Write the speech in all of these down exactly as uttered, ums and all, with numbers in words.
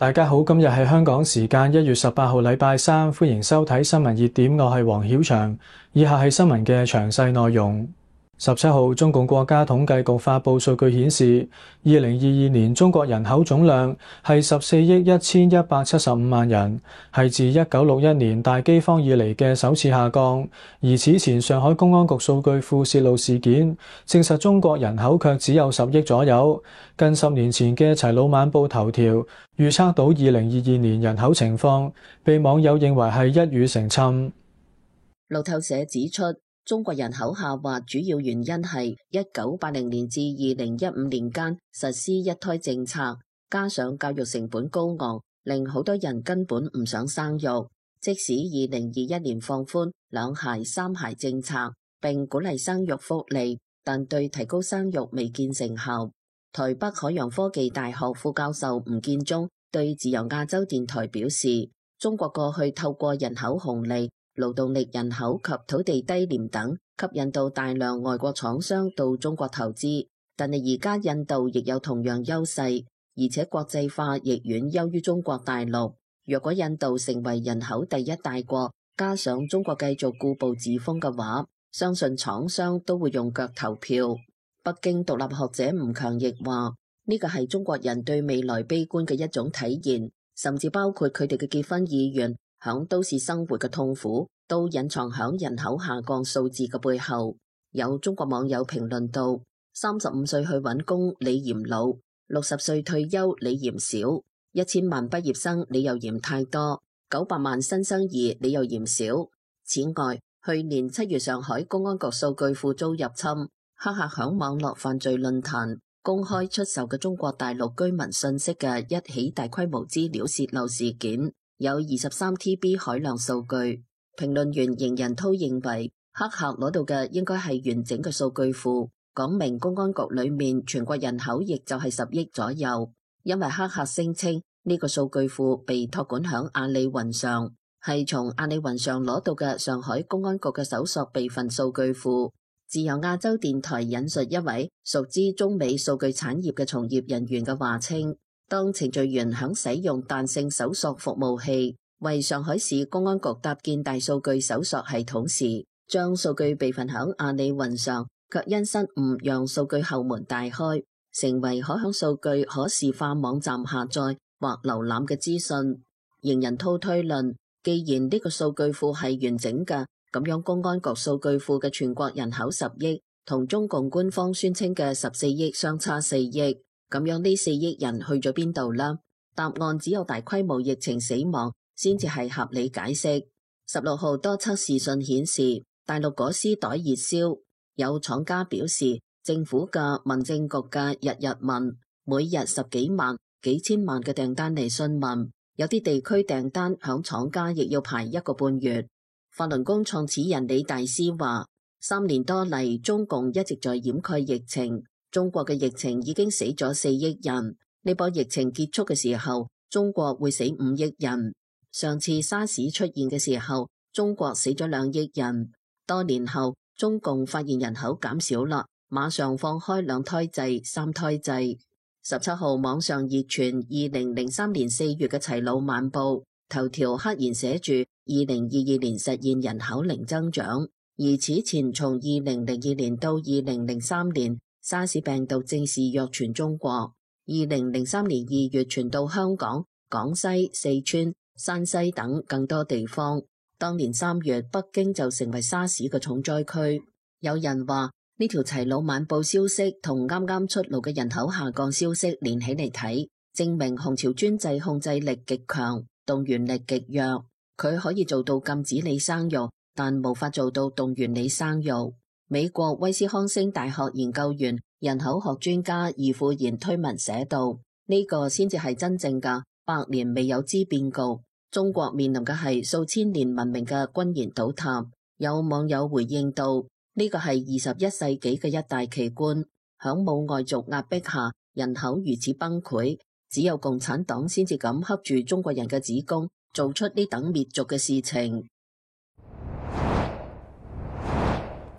大家好，今日係香港時間一月十八號禮拜三，歡迎收睇新聞熱點，我係黃曉翔。以下係新聞嘅詳細內容。十七號，中共國家統計局發布數據顯示，二零二二年中國人口總量係十四億一千一百七十五萬人，係自一九六一年大饑荒以嚟嘅首次下降。而此前上海公安局數據庫泄露事件，證實中國人口卻只有十億左右。近十年前嘅《齊魯晚報》頭條預測到二零二二年人口情況，被網友認為係一語成讖。路透社指出，中國人口下滑主要原因係一九八零年至二零一五年間實施一胎政策，加上教育成本高昂，令好多人根本唔想生育。即使二零二一年放寬兩孩三孩政策，並鼓勵生育福利，但對提高生育未見成效。台北海洋科技大學副教授吳建中對自由亞洲電台表示，中國過去透過人口紅利、勞動力人口及土地低廉等，吸引到大量外國廠商到中國投資。但係而家印度亦有同樣優勢，而且國際化亦遠優於中國大陸。若果印度成為人口第一大國，加上中國繼續固步自封嘅話，相信廠商都會用腳投票。北京獨立學者吳強亦話，呢個係中國人對未來悲觀嘅一種體現，甚至包括佢哋嘅結婚意願、響都市生活嘅痛苦，都隱藏響人口下降數字嘅背後。有中國網友評論道：三十五歲去揾工你嫌老，六十歲退休你嫌少，一千萬畢業生你又嫌太多，九百萬新生兒你又嫌少。此外，去年七月上海公安局數據庫遭入侵，黑客響網絡犯罪論壇公開出售嘅中國大陸居民信息嘅一起大規模資料洩漏事件，有二十三 T B 海量數據。評論員邢仁濤認為，黑客攞到嘅應該係完整嘅數據庫，講明公安局裏面全國人口亦就係十億左右。因為黑客聲稱呢個數據庫被託管響阿里雲上，係從阿里雲上攞到嘅上海公安局嘅搜索備份數據庫。自由亞洲電台引述一位熟知中美數據產業嘅從業人員嘅話稱，當程序員響使用彈性搜索服務器為上海市公安局搭建大數據搜索系統時，將數據備份響阿里雲上，卻因失誤讓數據後門大開，成為可響數據可視化網站下載或瀏覽嘅資訊。邢仁濤推論，既然呢個數據庫係完整嘅，咁樣公安局數據庫嘅全國人口十億，同中共官方宣稱嘅十四億相差四億，咁樣呢四億人去咗邊度啦？答案只有大規模疫情死亡先至係合理解釋。十六號多測試信顯示，大陸果絲袋熱銷，有廠家表示，政府嘅民政局嘅日日問，每日十幾萬、幾千萬嘅訂單嚟詢問，有啲地區訂單響廠家亦要排一個半月。法輪功創始人李大師話，三年多嚟，中共一直在掩蓋疫情，中國嘅疫情已經死咗四億人，呢波疫情結束嘅時候，中國會死五億人。上次沙士出現嘅時候，中國死咗兩億人。多年後，中共發現人口減少啦，馬上放開兩胎制、三胎制。十七號網上熱傳二零零三年四月嘅齊魯晚報頭條黑言寫住二零二二年實現人口零增長，而此前從二零零二年到二零零三年，沙士病毒正式躍傳中國。二零零三年二月傳到香港、廣西、四川、山西等更多地方。當年三月，北京就成為沙士嘅重災區。有人話呢條齊魯晚報消息同啱啱出爐嘅人口下降消息連起嚟睇，證明紅潮專制控制力極強，動員力極弱。佢可以做到禁止你生育，但無法做到動員你生育。美國威斯康星大學研究員、人口學專家易富賢推文寫道：呢個先至係真正嘅百年未有之變局。中國面臨嘅係數千年文明嘅轟然倒塌。有網友回應道：呢個係二十一世紀嘅一大奇觀。響冇外族壓迫下，人口如此崩潰，只有共產黨先至敢恰住中國人嘅子宮，做出呢等滅族嘅事情。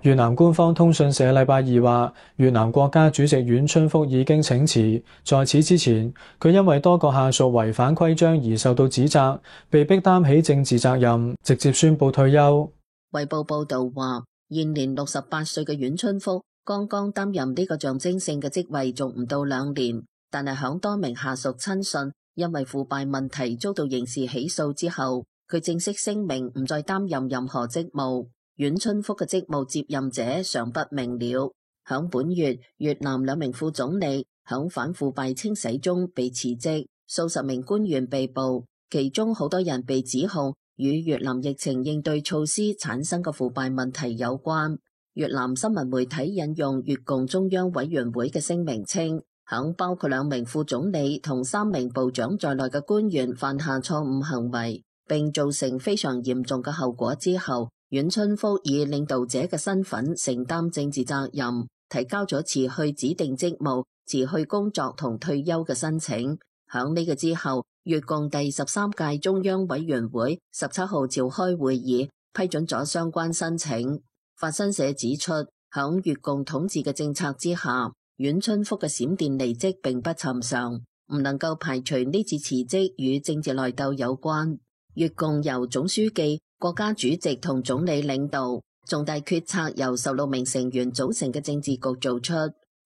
越南官方通訊社禮拜二話，越南國家主席阮春福已經請辭。在此之前，佢因為多個下屬違反規章而受到指責，被迫擔起政治責任，直接宣布退休。衛報報道話，現年六十八歲嘅阮春福剛剛擔任呢個象徵性嘅職位，仲唔到兩年，但係響多名下屬親信因為腐敗問題遭到刑事起訴之後，佢正式聲明唔再擔任任何職務。阮春福嘅職務接任者尚不明了。響本月，越南兩名副總理響反腐敗清洗中被辭職，數十名官員被捕，其中好多人被指控與越南疫情應對措施產生嘅腐敗問題有關。越南新聞媒體引用越共中央委員會嘅聲明稱，響包括兩名副總理同三名部長在內嘅官員犯下錯誤行為，並造成非常嚴重嘅後果之後，阮春福以領導者嘅身份承擔政治責任，提交咗辭去指定職務、辭去工作同退休嘅申請。響呢個之後，越共第十三屆中央委員會十七號召開會議，批准咗相關申請。法新社指出，響越共統治嘅政策之下，阮春福嘅閃電離職並不尋常，唔能夠排除呢次辭職與政治內鬥有關。越共由總書記、國家主席同總理領導，重大決策由十六名成員組成嘅政治局做出。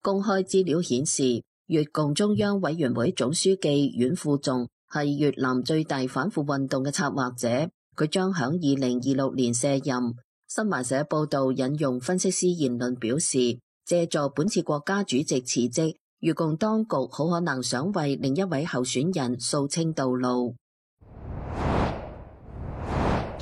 公開資料顯示，越共中央委員會總書記阮富仲係越南最大反腐運動嘅策劃者，佢將響二零二六年卸任。新華社報道引用分析師言論表示，借助本次國家主席辭職，越共當局好可能想為另一位候選人掃清道路。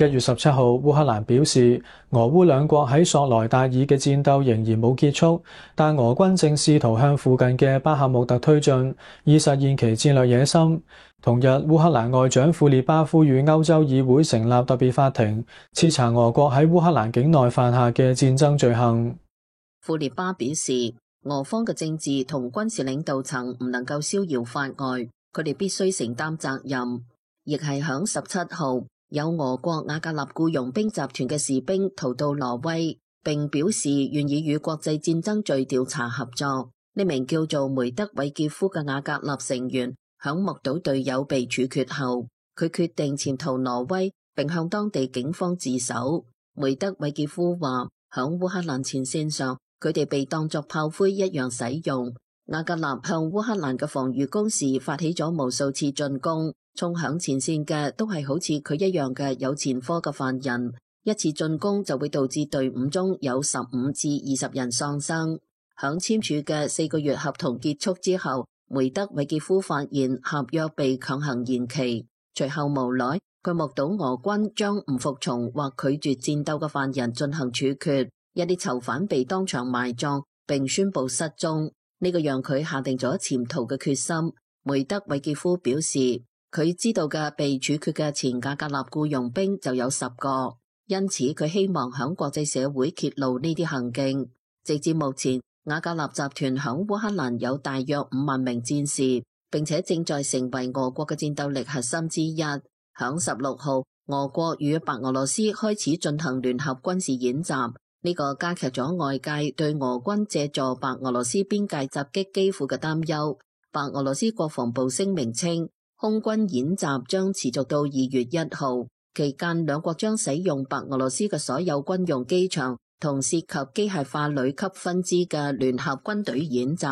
一月十七號，烏克蘭表示，俄烏兩國喺索萊達爾嘅戰鬥仍然冇結束，但俄軍正試圖向附近嘅巴赫穆特推進，以實現其戰略野心。同日，烏克蘭外長庫列巴呼籲歐洲議會成立特別法庭，徹查俄國喺烏克蘭境內犯下嘅戰爭罪行。庫列巴表示，俄方嘅政治同軍事領導層唔能夠逍遙法外，佢哋必須承擔責任。亦係響十七號，有俄國瓦格納僱傭兵集團嘅士兵逃到挪威，並表示願意與國際戰爭罪調查合作。呢名叫做梅德韋傑夫嘅瓦格納成員響目睹隊友被處決後，佢決定潛逃挪威，並向當地警方自首。梅德韋傑夫話，響烏克蘭前線上，佢哋被當作炮灰一樣使用。瓦格納向烏克蘭嘅防禦工事發起咗無數次進攻，衝響前線嘅都係好似佢一樣嘅有前科嘅犯人。一次進攻就會導致隊伍中有十五至二十人喪生。響簽署嘅四個月合同結束之後，梅德韋傑夫發現合約被強行延期，隨後無奈佢目睹俄軍將唔服從或拒絕戰鬥嘅犯人進行處決，一啲囚犯被當場埋葬並宣布失蹤。呢個讓佢下定咗潛逃嘅決心。梅德韋傑夫表示，佢知道嘅被處決嘅前瓦格納僱傭兵就有十個，因此佢希望響國際社會揭露呢啲行徑。直至目前，瓦格納集團響烏克蘭有大約五萬名戰士，並且正在成為俄國嘅戰鬥力核心之一。響十六號，俄國與白俄羅斯開始進行聯合軍事演習。呢個加劇咗外界對俄軍借助白俄羅斯邊界襲擊基輔嘅擔憂。白俄羅斯國防部聲明稱，空軍演習將持續到二月一號，期間兩國將使用白俄羅斯嘅所有軍用機場同涉及機械化旅級分支嘅聯合軍隊演習。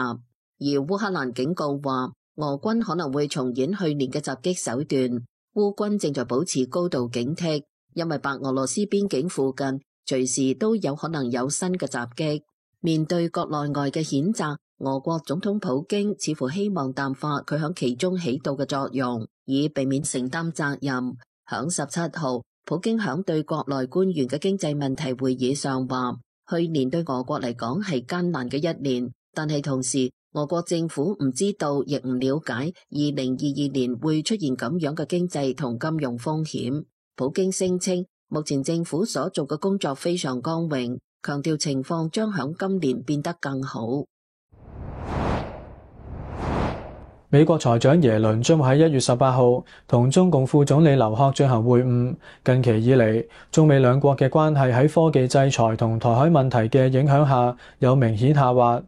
而烏克蘭警告話，俄軍可能會重演去年嘅襲擊手段。烏軍正在保持高度警惕，因為白俄羅斯邊境附近隨時都有可能有新嘅襲擊。面對國內外嘅譴責，俄國總統普京似乎希望淡化佢響其中起到嘅作用，以避免承擔責任。響十七號，普京響對國內官員嘅經濟問題會議上話，去年對俄國嚟講係艱難嘅一年，但係同時俄國政府唔知道亦唔了解二零二二年會出現咁樣嘅經濟同金融風險。普京聲稱，目前政府所做嘅工作非常光榮，強調情況將響今年變得更好。美國財長耶倫將會喺一月十八號同中共副總理劉鶴進行會晤。近期以嚟，中美兩國嘅關係喺科技制裁同台海問題嘅影響下有明顯下滑。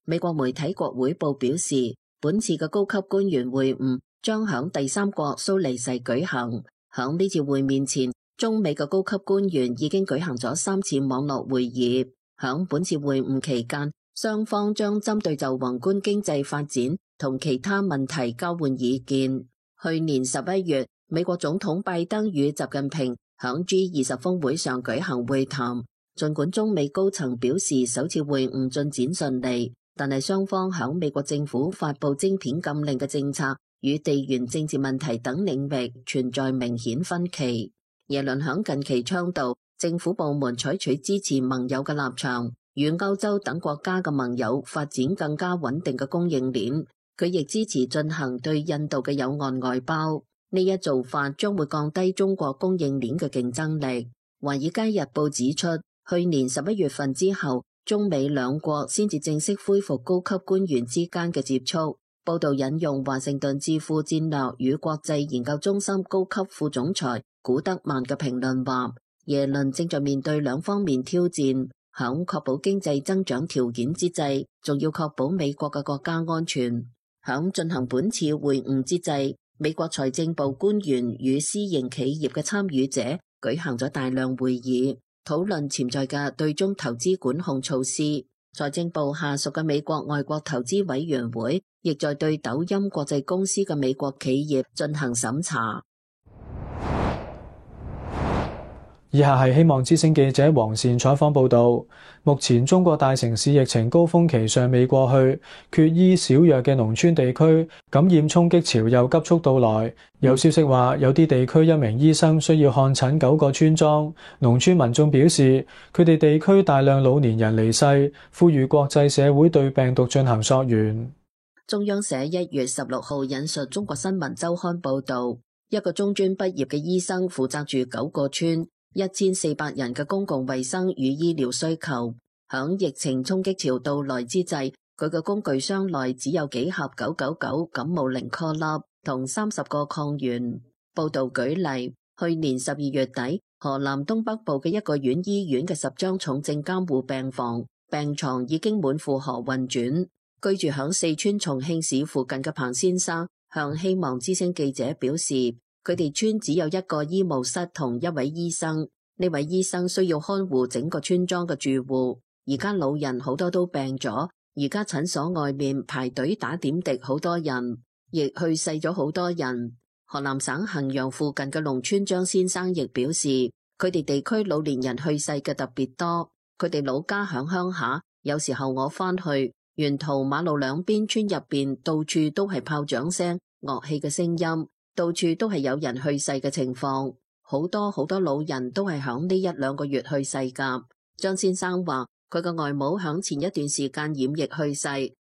美國媒體國會報表示，本次嘅高級官員會晤將響第三國蘇黎世舉行。響呢次會面前，中美嘅高級官員已經舉行咗三次網絡會議。響本次會晤期間，雙方將針對就宏觀經濟發展同其他問題交換意見。去年十一月，美國總統拜登與習近平響 G 二十峰會上舉行會談。儘管中美高層表示首次會晤進展順利，但係雙方響美國政府發布晶片禁令嘅政策與地緣政治問題等領域存在明顯分歧。耶倫響近期倡導政府部門採取支持盟友嘅立場，與歐洲等國家嘅盟友發展更加穩定嘅供應鏈。佢亦支持進行對印度嘅友岸外包，呢一做法將會降低中國供應鏈嘅競爭力。華爾街日報指出，去年十一月份之後，中美兩國先至正式恢復高級官員之間嘅接觸。報道引用華盛頓智庫戰略與國際研究中心高級副總裁古德曼嘅評論話，耶倫正在面對兩方面挑戰，響確保經濟增長條件之際，仲要確保美國嘅國家安全。響進行本次會晤之際，美國財政部官員與私營企業嘅參與者舉行咗大量會議，討論潛在嘅對中投資管控措施。財政部下屬嘅美國外國投資委員會亦在對抖音國際公司嘅美國企業進行審查。以下係希望之聲記者黃善採訪報導。目前中國大城市疫情高峰期尚未過去，缺醫少藥嘅農村地區感染衝擊潮又急速到來。有消息話，有啲地區一名醫生需要看診九個村莊。農村民眾表示，佢哋地區大量老年人離世，呼籲國際社會對病毒進行溯源。中央社一月十六號引述中國新聞週刊報導，一個中專畢業嘅醫生負責住九個村。一千四百人嘅公共衛生與醫療需求，響疫情衝擊潮到來之際，佢嘅工具箱內只有幾盒九九九感冒靈顆粒同三十個抗原。報道舉例，去年十二月底，河南東北部嘅一個縣醫院嘅十張重症監護病房病床已經滿負荷運轉。居住響四川重慶市附近嘅彭先生向希望之聲記者表示，佢哋村只有一個醫務室同一位醫生，呢位醫生需要看護整個村莊嘅住戶。而家老人好多都病咗，而家診所外面排隊打點滴，好多人，亦去世咗好多人。河南省衡陽附近嘅農村張先生亦表示，佢哋地區老年人去世嘅特別多，佢哋老家響鄉下，有時候我返去，沿途馬路兩邊村入邊到處都係炮仗聲、樂器嘅聲音。到處都係有人去世嘅情況，好多好多老人都係響呢一兩個月去世㗎。張先生話，佢嘅外母響前一段時間染疫去世，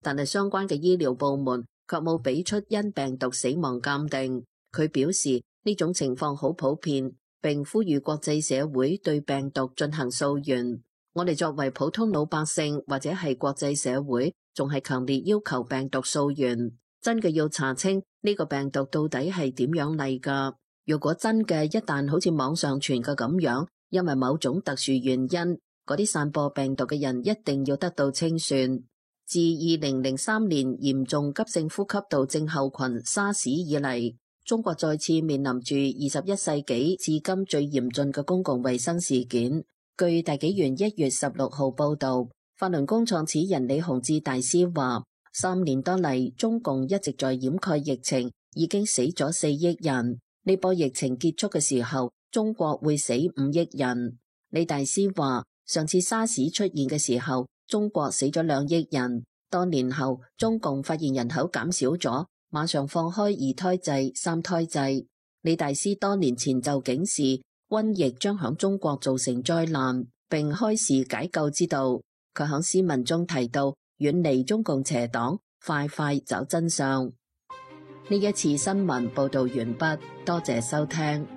但係相關嘅醫療部門卻冇俾出因病毒死亡鑑定。佢表示呢種情況好普遍，並呼籲國際社會對病毒進行溯源。我哋作為普通老百姓或者係國際社會，仲係強烈要求病毒溯源。真嘅要查清呢個病毒到底係點樣嚟㗎？如果真嘅一旦好似網上傳嘅咁樣，因為某種特殊原因，嗰啲散播病毒嘅人一定要得到清算。自二零零三年嚴重急性呼吸道症候群沙士以嚟，中國再次面臨住二十一世紀至今最嚴峻嘅公共衛生事件。據大紀元一月十六號報導，法輪功創始人李洪志大師話，三年多嚟，中共一直在掩蓋疫情，已經死咗四億人。呢波疫情結束嘅時候，中國會死五億人。李大師話，上次沙士出現嘅時候，中國死咗兩億人。多年後，中共發現人口減少咗，馬上放開二胎制、三胎制。李大師多年前就警示，瘟疫將響中國造成災難，並開示解救之道。佢響詩文中提到，遠離中共邪黨，快快找真相。呢一次新聞報道完畢，多謝收聽。